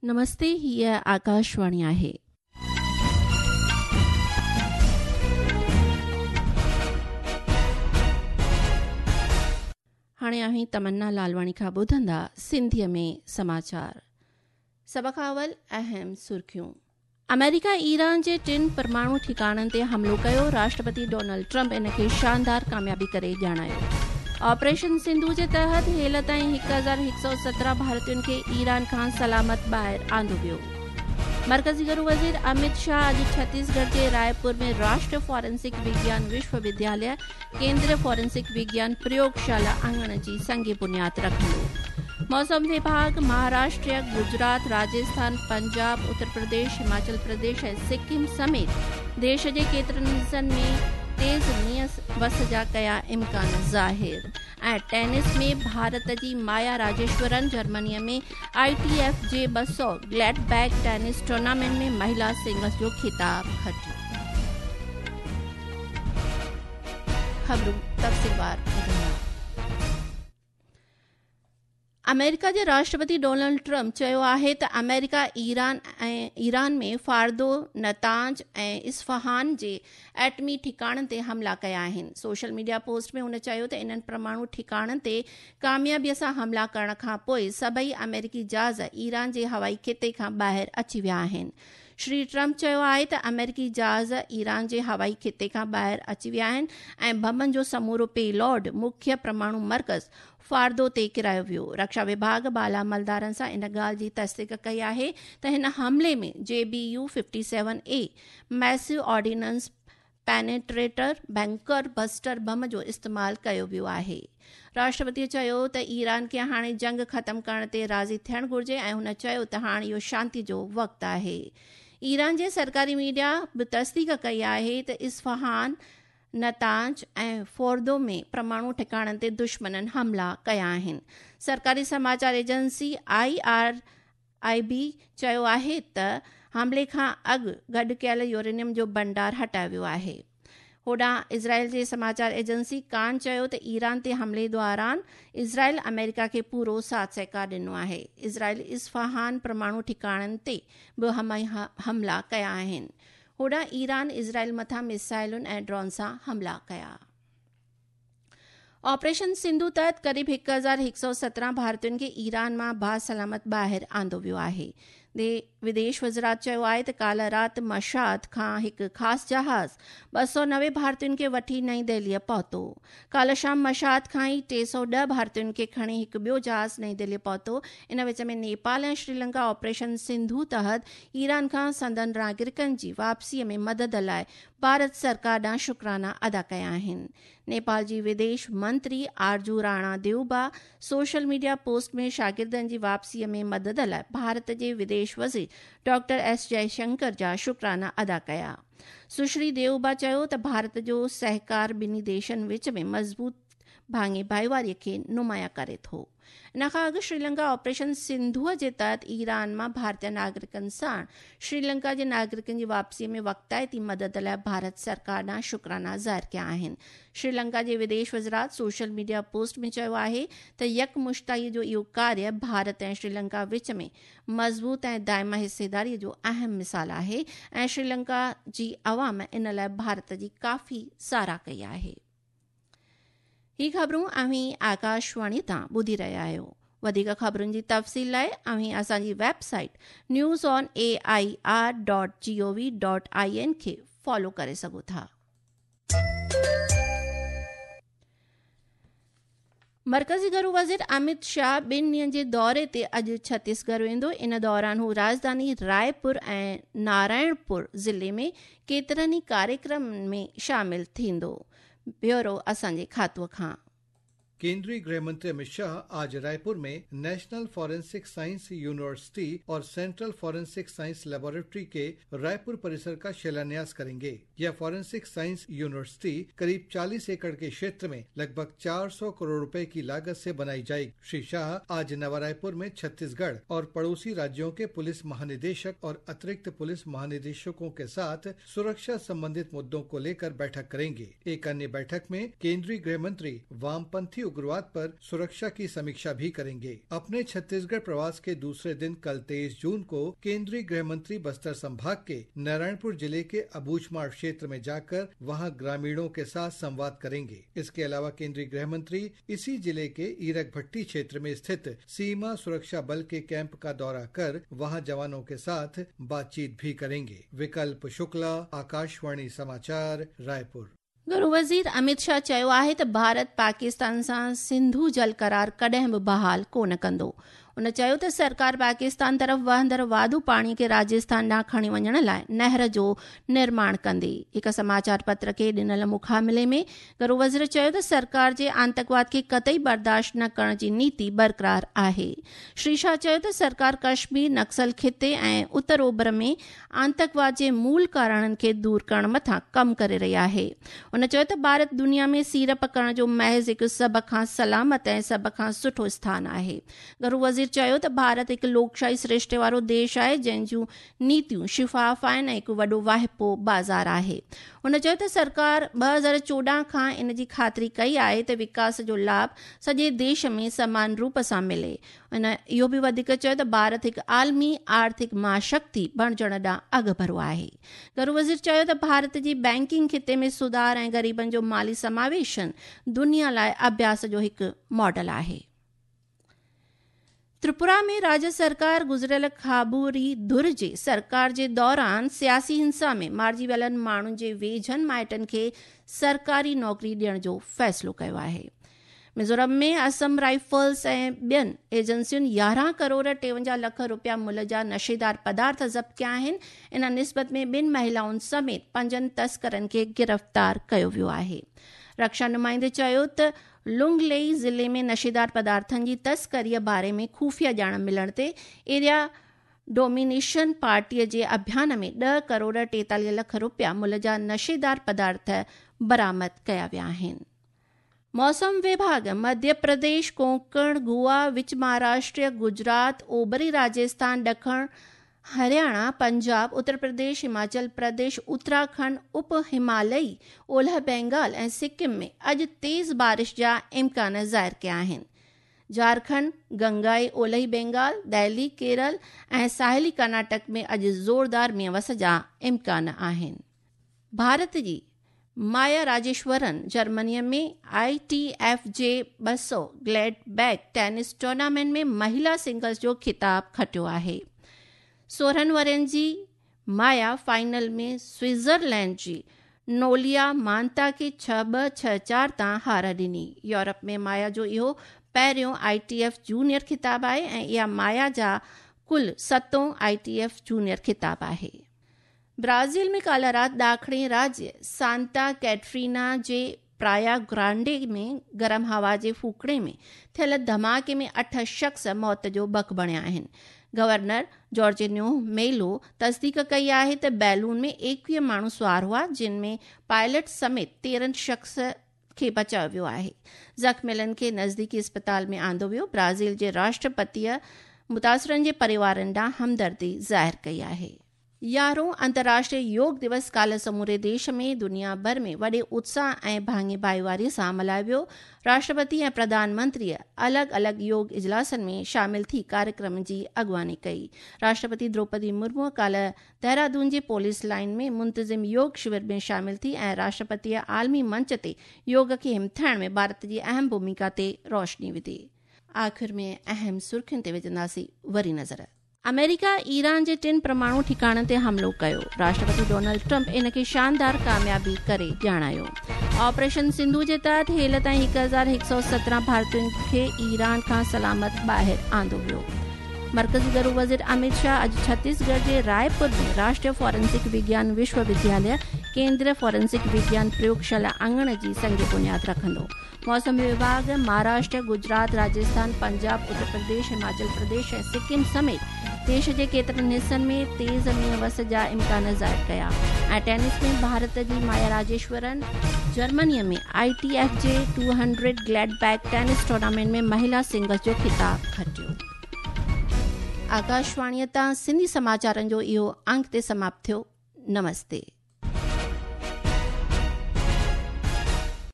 نمستي هيء آڪاشواڻي آهي. هاڻي اوهين تمنا لالواڻي کان ٻڌندا سنڌيء ۾ سماچار. سڀ کان اول اهم سرخيون. آمريڪا ايران جي ٽن پرماڻو ٺڪاڻن تي حملو ڪيو، راشٽرپتي ڊونلڊ ٽرمپ ان کي شاندار ڪاميابي ڪري ڄاڻايو. آپريشن سنڌو جي تحت هيل تائين 1117 ڀارتين کي ايران کان سلامت ٻاهر آندو ويو. مرڪزي گهرو وزير امت شاهه اڄ ڇتيسڳڙهه جي رائپور ۾ راشٽريه فارنسڪ وگيان وشو ودياليه ڪيندريه فارنسڪ وگيان پريوگشالا اڱڻ جي سنگ بنياد رکندو. موسم وڀاڳ مهاراشٽر، گجرات، راجسٿان، پنجاب، اتر پرديش، هماچل پرديش ۽ سڪم سميت ديش جي ڪيترن حصن ۾ تيز مينهن وس جا ڪيا امڪان ظاهر ۽ ٽينس ۾ ڀارت جي Maya Rajeshwaran Germany ۾ I T F جي 200 گليڊ بيڪ ٽينس ٽورنامينٽ ۾ مهلا سنگلز جو خطاب کٽيو. خبرون تفصيلوار ٻڌندا. آمريڪا جي راشٽرپتي ڊونلڊ ٽرمپ چيو آهي ته آمريڪا ايران ۽ ايران ۾ فاردو، نتانز ۽ اصفهان جي ايٽمي ٺڪاڻن تي حملا ڪيا آهن. سوشل ميڊيا پوسٽ ۾ هن چيو ته انهن پرماڻو ٺڪاڻن تي ڪاميابي سان حملا ڪرڻ کان پوء سڀئي آمريڪي جهاز ايران جي هوائي خطي کان ٻاهر اچي ويا آهن. شري ٽرمپ چيو آهي ته آمريڪي جهاز ايران جي هوائي خطي کان ٻاهر اچي ويا آهن ۽ بمن جو سمورو پي لوڊ مکيه پرماڻو مرڪز فاردو تي ڪيرايو ويو. رڪشا وڀاڳ بالا عملدارن سان ان ڳالهه جي تصديق ڪئي آهي ته هن حملي ۾ جي B U fifty seven A massive ordnance penetrator bunker buster bomb جو استعمال ڪيو ويو آهي. راشٽرپتي چيو ته ايران کي هاڻي جنگ ختم ڪرڻ تي راضي ٿيڻ گهرجي ۽ هن چيو ته هاڻ اهو شانتي جو وقت آهي. ايران جي سرڪاري ميڊيا به تصديق ڪئي آهي ته اصفهان، نتانز ۽ فوردو ۾ پرماڻو ٺڪاڻن تي دشمنن حملا ڪيا آهن. سرڪاري سماچار ايجنسي I R I بي چيو آهي ته حملي کان اڳ گڏ ڪيل يورينيم جو ڀنڊار هٽايو ويو آهي. هوڏانهن اسرائيل جي سماچار ايجنسي ڪان چيو ته ايران تي حملي دوران اسرائيل آمريڪا کي پورو ساٿ سهڪار ڏنو آهي. اسرائيل اصفهان پرماڻو ٺڪاڻن تي به حملا ڪيا آهن. هوڏانهن ايران اسرائيل مٿان ميسائلن ۽ ڊرون سان حملا ڪيا. آپريشن سنڌو تحت قريب 1117 ڀارتين کي ايران مان باسلامت ٻاهر آندو ويو آهي. وديش وزارت چيو آهي ته ڪالهه رات مشهد کان هڪ خاص جهاز 290 ڀارتين کي وٺي نئين دهليء پهتو. ڪالهه شام مشهد کان ئي 310 ڀارتين کي کڻي هڪ ٻيو جهاز نئين دهليء پهتو. ان وچ ۾ نيپال ۽ شريلنڪا آپريشن سنڌو تحت ايران کان سندن ناگرڪن جي واپسيء ۾ مدد لاء ڀارت سرڪار ڏانهن شڪرانا ادا ڪيا آهن. نيپال جي وديش منتري Arzu Rana Deuba social media post ۾ شاگردن جي واپسيء ۾ مدد لاء ڀارت جي وديش وزير ڊاڪٽر ايس جئي شنڪر جا شڪرانا ادا ڪيا. سشري ديوبا چيو ته ڀارت جو سهڪار ٻنهي ديشن وچ ۾ مضبوط ڀاڱي ڀائيواري کي نمايان ڪري ٿو. ان کان اڳ شريلنڪا آپريشن سنڌوء جي تحت ايران مان ڀارتي ناگرڪن ساڻ شريلنڪا جي ناگرڪن جي واپسي ۾ وقتائتي مدد لاء ڀارت سرڪار ڏانهن شڪرانا ظاهر ڪيا آهن. شريلنڪا جي وديش وزارت سوشل ميڊيا پوسٽ ۾ چيو آهي ته يڪمشتائي جو اهو ڪاريه ڀارت ۽ شريلنڪا وچ ۾ مضبوط ۽ دائمي حصيداري جو اهم مثال آهي ۽ شريلنڪا جي عوام ان لاء ڀارت جي ڪافي ساراهه ڪئي آهي. هي خبرون اوهين آڪاشواڻي تان ٻڌي رهيا آهيو. وڌيڪ خبرن جي تفصيل لاء اوهين اسان جي website news on A I R dot G O V dot I N کي فالو ڪري سگهو ٿا. مرڪزي گهرو وزير امت شاهه ٻن ڏينهن جي دوري تي اڄ ڇتيسڳڙهه ويندو. ان دوران هو راڄڌاني رائپور ۽ نارائڻپور ضلعي ۾ ڪيترن ئي ڪاريڪرمن ۾ شامل ٿيندو. بيورو اسان جي کاتوء کان. केंद्रीय गृह मंत्री अमित शाह आज रायपुर में नेशनल फॉरेंसिक साइंस यूनिवर्सिटी और सेंट्रल फॉरेंसिक साइंस लेबोरेटरी के रायपुर परिसर का शिलान्यास करेंगे। यह फॉरेंसिक साइंस यूनिवर्सिटी करीब 40 एकड़ के क्षेत्र में लगभग 400 करोड़ रुपए की लागत से बनाई जाएगी। श्री शाह आज नवा रायपुर में छत्तीसगढ़ और पड़ोसी राज्यों के पुलिस महानिदेशक और अतिरिक्त पुलिस महानिदेशकों के साथ सुरक्षा संबंधित मुद्दों को लेकर बैठक करेंगे। एक अन्य बैठक में केंद्रीय गृह मंत्री वामपंथी उग्रवाद पर सुरक्षा की समीक्षा भी करेंगे। अपने छत्तीसगढ़ प्रवास के दूसरे दिन कल 23 जून को केंद्रीय गृह मंत्री बस्तर संभाग के नारायणपुर जिले के अबूझमाड़ क्षेत्र में जाकर वहां ग्रामीणों के साथ संवाद करेंगे। इसके अलावा केंद्रीय गृह मंत्री इसी जिले के ईरकभट्टी क्षेत्र में स्थित सीमा सुरक्षा बल के कैंप का दौरा कर वहां जवानों के साथ बातचीत भी करेंगे। विकल्प शुक्ला, आकाशवाणी समाचार, रायपुर। घरू वज़ीर अमित शाह चयो आहे त भारत पाकिस्तान सां सिंधु जल करार कॾहिं बि बहाल कोन कंदो। उन चयो त सरकार पाकिस्तान तरफ़ वहंदड़ वाधू पाणी खे राजस्थान ॾांहुं खणी वञण लाइ नहर जो निर्माण कंदी। हिकु समाचार पत्र खे ॾिनल मुखामिले में घरू वज़ीर चयो त सरकार जे आंतकवाद खे कतई बर्दाश्त न करण जी नीति बरक़रार आहे। श्री शाह चयो त सरकार कश्मीर, नक्सल ख़िते ऐं उत्तर ओभर में आंतकवाद जे मूल कारणनि खे दूर करण मथां कमु करे रही आहे। उन चयो त भारत दुनिया में सीड़प करण जो महज़ हिकु सभ खां सलामत ऐं सभ खां सुठो स्थान आहे। घरू वज़ीर चयो त भारत हिकु लोकशाही सृष्टि वारो देश आहे जंहिं जूं नीतियूं शिफ़ाफ़ आहिनि ऐं हिकु वॾो वाहिपो बाज़ार आहे। हुन चयो त सरकार 2014 खां इन जी ख़ातिरी कई आहे त विकास जो लाभ सॼे देश में समान रूप सां मिले। हुन इहो बि वधीक चयो त भारत हिकु आलमी आर्थिक महाशक्ति बणिजण ॾांहुं अॻिभरो आहे। घरू वज़ीर चयो त भारत जी बैंकिंग ख़िते में सुधार ऐं ग़रीबनि जो माली समावेशन दुनिया लाइ अभ्यास जो हिकु मॉडल आहे। त्रिपुरा में राज्य सरकार गुज़िरियल खाबूरी धुर जे सरकार जे दौरान सियासी हिंसा में मारिजी वियलनि माण्हुनि जे वेझनि माइटनि खे सरकारी नौकरी ॾियण जो फ़ैसिलो कयो आहे। मिज़ोरम में असम राइफल्स ऐं ॿियनि एजेंसियुनि 11 करोड़ 53 लख रुपया मुल्ह जा नशेदार पदार्थ ज़ब्त कया आहिनि। इन निस्बत में ॿिनि महिलाउनि समेत 5 तस्करनि खे गिरफ़्तार कयो वियो आहे। रक्षा नुमाइंदे चयो त लुंगलेई ज़िले में नशेदार पदार्थनि जी तस्करीअ बारे में ख़ुफ़िया ॼाण मिलण ते एरिया डोमिनेशन पार्टीअ जे अभियान में 10 करोड़ 43 लख रुपया मुल्ह जा नशेदार पदार्थ बरामद कया विया आहिनि। मौसम विभाग मध्य प्रदेश, कोंकण, गोवा, विच महाराष्ट्र, गुजरात, ओबरी राजस्थान, ॾखण हरियाणा, पंजाब, उत्तर प्रदेश, हिमाचल प्रदेश, उत्तराखंड, उप हिमालयी, ओलह बंगाल ऐं सिक्किम में अॼु तेज़ बारिश जा इम्कान ज़ाहिर कया आहिनि। झारखंड, गंगाई, ओलही बंगाल, दिल्ली, केरल ऐं साहिली कर्नाटक में अॼु ज़ोरदार मींहं वस जा इम्कान आहिनि। भारत जी माया राजेश्वरन जर्मनीअ में ITF जे 200 ग्लैडबैक टेनिस टूर्नामेंट में महिला सिंगल्स जो ख़िताब खटियो आहे। 16 वरनि जी माया फाइनल में स्विट्ज़रलैंड जी नोलिया मानता खे 6-2 6-4 तां हार ॾिनी। यूरोप में माया जो इहो पहिरियों ITF junior ख़िताब आहे ऐं इहा माया जा कुल 7ओं ITF junior ख़िताब आहे। ब्राज़ील में काल्ह राति ॾाखिणी राज्य सांता कैटरीना जे प्राया ग्रांडे में गरम हवा जे फूकणे में थियल धमाके में 8 शख़्स मौत जो बक बणिया आहिनि। गवर्नर जॉर्जिन्यो मेलो तस्दीक कई आहे त बैलून में 21 माण्हू सुवार हुआ, जिन में पायलट समेत 13 शख़्स खे बचायो वियो आहे। ज़ख़्मियलनि खे नज़दीकी अस्पताल में आंदो वियो। ब्राज़ील जे राष्ट्रपतीअ मुतासिरनि जे परिवारनि ॾांहुं हमदर्दी ज़ाहिर कई आहे। 11हों अंतर्राष्ट्रीय योग दिवस काल्ह समूरे देश में दुनिया भर में वॾे उत्साह ऐं भाङे भाईवारीअ सां मल्हायो वियो। राष्ट्रपति ऐं प्रधानमंत्रीअ अलॻि अलॻि योग इजलासनि में शामिल थी कार्यक्रम जी अॻुवानी कई। राष्ट्रपति द्रौपदी मुर्मू काल्ह देहरादून जे पुलिस लाइन में मुंतज़िम योग शिविर में शामिल थी ऐं राष्ट्रपतीअ आलमी मंच ते योग खे हिमथाइण में भारत जी अहम भूमिका ते रोशनी विधी। आख़िर में अहम सुर्खियुनि ते विझंदासीं वरी नज़र। अमेरिका ईरान जे 3 परमाणु ठिकाणनि ते हमलो कयो। राष्ट्रपति डोनाल्ड ट्रंप इन खे शानदार कामयाबी करे ॼाणायो। ऑपरेशन सिंधु जे तहत हेल ताईं 1117 भारतीयुनि खे ईरान खां सलामत ॿाहिरि आंदो वियो। मर्कज़ी घरू वज़ीर अमित शाह अॼु छत्तीसगढ़ जे रायपुर में राष्ट्रीय फॉरेंसिक विज्ञान विश्वविद्यालय केंद्रीय फॉरेंसिक विज्ञान प्रयोगशाला आंगण जी संग बुनियाद रखंदो। मौसम विभाग महाराष्ट्र, गुजरात, राजस्थान, पंजाब, उत्तर प्रदेश, हिमाचल प्रदेश ऐं सिक्किम समेत देश जे केतिरनि हिसनि में तेज़ मींहं वस जा इम्कान ज़ाहिर कया। ऐं टेनिस में भारत जी माया राजेश्वरन जर्मनीअ में ITF जे 200 ग्लैडबैक टेनिस टूर्नामेंट में महिला सिंगल्स जो ख़िताब खटियो। आकाशवाणीअ तां सिंधी समाचारनि जो इहो अंक ते समाप्त थियो। नमस्ते।